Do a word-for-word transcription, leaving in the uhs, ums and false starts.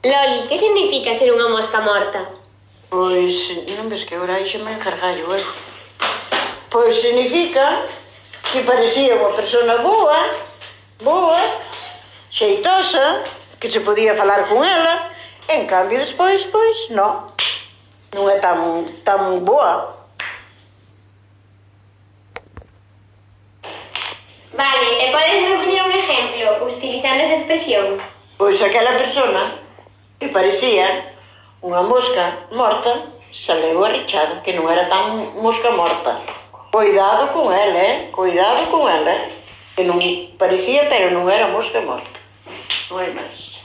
Loli, que significa ser unha mosca morta? Pois, non ves que agora aí xa me encargallo, eu. Pois significa que parecía unha persona boa, boa, xeitosa, que se podía falar con ela, en cambio despois, pois, non. Non é tan, tan boa. Vale, e podes me poñer un exemplo utilizando esa expresión? Pois aquela persona que parecía unha mosca morta saleu arrechada, que non era tan mosca morta. Cuidado con ela, eh? Cuidado con ela, eh? Que non parecía, pero non era mosca morta. Non hai máis.